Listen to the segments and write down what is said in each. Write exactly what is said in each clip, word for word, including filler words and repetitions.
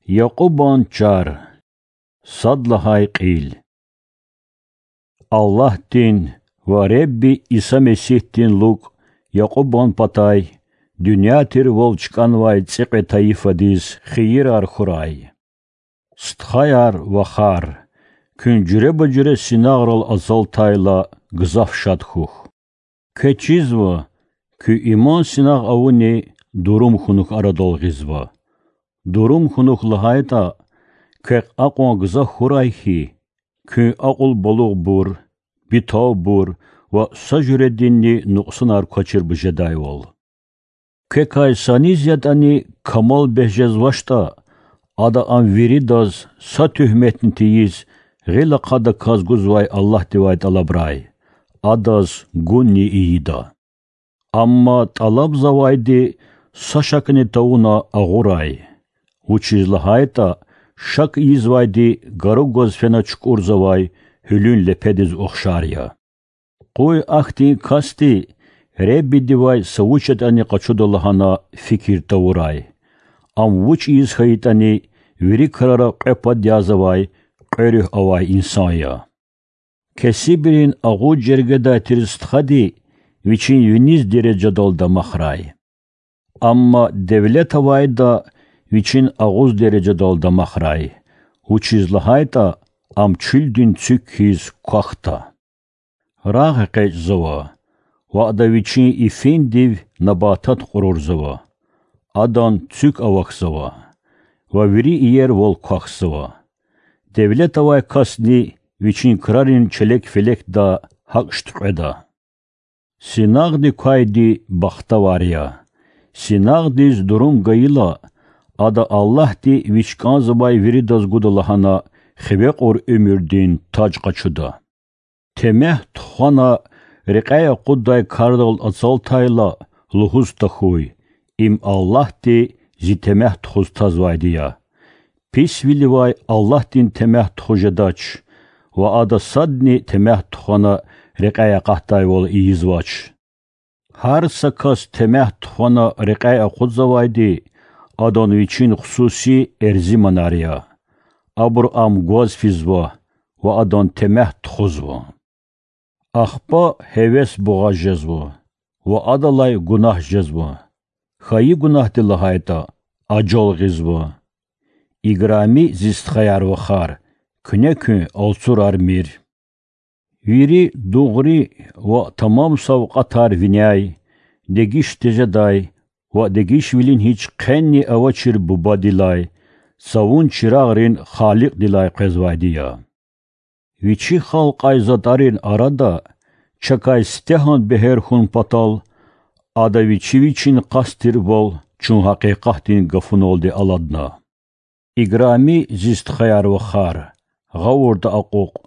Якьубан чар. Сад лагьай кьил. Аллагьдин ва Худа Иса Месигьдин лукӀ Якьубан патай дуьнья тирвал чкӀанвай цӀикьвед тайифадиз хийирар хьурай. Стхаяр, вахар, куьн жуьреба-жуьре синагърал ацалтайла, гзаф шад хьухь. Квез чизва, куь иман синагъ авуни дурум хьунухь арадал гъизва. Дурум хьунухь лагьайтӀа, квехъ акьван гзаф хьурай хьи, куьн акьул-балугъбур, битавбур ва са жуьрединни нукьсанар квачирбур жедайвал. Квекай саниз ятӀани камал бес жезвачтӀа, ада ам виридаз са туьгьметни тийиз, гъил ахъа-даказ гузвай Аллагьдивай тӀалабрай, адаз гунни ийида. Амма тӀалабзавайди са шакни тавуна агъурай, вучиз лагьайтӀа шак ийизвайди гару гваз фена чукӀурзавай гьуьлуьн лепедиз ухшар я. Къуй ахьтин касди Худадивай са вуч ятӀани къачуда лагьана фикир тавурай. Ам вуч ийиз хьайитӀани, вири крара кьве пад язавай, кьве руьгь авай инсан я. Кесибрин агъуз жергедай тир стхади вичин виниз дережадал дамахрай. Амма девлет авайда вичин агъуз дережадал дамахрай, вучиз лагьайтӀа ам чуьлдин цуьк хьиз квахьда. Рагъ экъечӀзава, ва ада вичин ифиндив набатат кьурурзава, адан цуьк авахьзава ва вири иервал квахьзава. Девлет авай касни вичин крарин челек-фелекда гьакӀ шуьткьведа. Синагъди квайди бахтавар я. Синагъдиз дурум гайила, ада Аллагьди вич кӀанзавай виридаз гуда лагьана хиве кьур уьмуьрдин таж къачуда. Темягь тухвана рекьяй акъуддай кардал ацалтайла, лугьуз тахьуй: им Аллагьди зи темягь тухуз тазвайди я. Писвиливай Аллагьдин темягь тухуз жедач, ва Ада садни темягь тухвана рекьяй акъатдайвал ийизвач. Гьар са кас темягь тухвана рекьяй акъудзавайди адан вичин хсуси эрзиманар я. Абуру ам гваз физва ва адан темягь тухузва. Ахпа гьевес бугъаз жезва ва адалай гунагь жезва. Хьайи гунагьди лагьайтӀа, ажал гъизва. Играми зи стхаяр-вахар, куьне куьн алцурармир. Вири дугъри ва тамам савкьватар виняй, дегиш тежедай ва дегишвилин гьич хъенни авачир Бубадилай, цавун чирагърин Халикьдилай къвезвайди я. Вичи халкьай затӀарин арада чакай сифтегьан бегьер хьун патал, Ада Вичи Вичин къаст тирвал чун гьакъикъатдин гафуналди аладна. Играми зи стхаяр-вахар, гъавурда акьукь,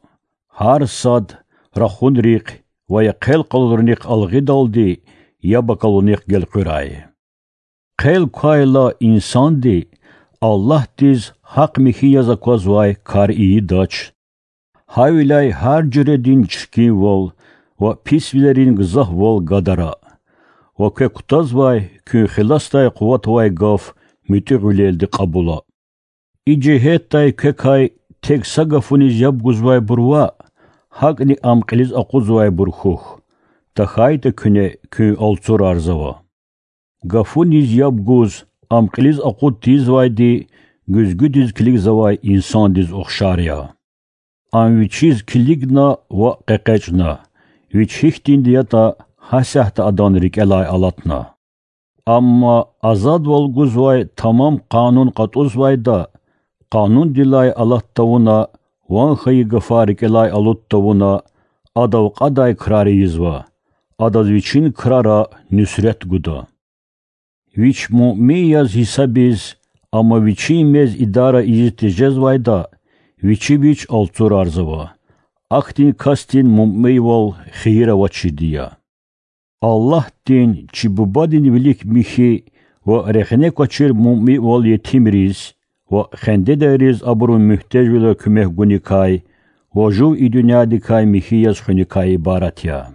гьар сад рахунрихъ ва я хъел къалурунихъ алгъидалди яб акалунихъ гелкъуьрай. Хъел квайла инсанди Аллагьдиз гьахъ-михьи яз аквазвай кар ийидач. Гьавиляй гьар жуьредин чиркинвал ва писвилерин гзафвал гадара. Ва квек кутазвай куьн хиласдай къуват авай гаф муьтӀуьгъвилелди кьабула. И жигьетдай квекай тек са гафуниз яб гузвайбур ваъ, гьакӀни ам кьилиз акъудзавайбур хьухь, тахьайтӀа куьне куьн алцурарзава. Гафуниз яб гуз ам кьилиз акъуд тийизвайди гуьзгуьдиз килигзавай инсандиз ухшар я. Ам вичиз килигна ва къекъечӀна, вич гьихьтинди ятӀа, гьасятда адан рикӀелай алатна. Амма азадвал гузвай тамам къанун кьатӀузвайда, къанундилай алат тавуна, ван хьайи гафар рикӀелай алуд тавуна, адав кьадай крар ийизва, адаз вичин крара нуьсрет гуда. Вич муъмин яз гьисабиз, амма вичин мез идара ийиз тежезвайда, вичи вич алцурарзава. Ахьтин касдин муъминвал хийир авачирди я. Аллагьдин чи Бубадин вилик михьи ва рехне квачир муъминвал етимриз ва хендедайриз абурун муьгьтежвилера куьмек гуникай ва жув и дуьньядикай михьи яз хуьникай ибарат я.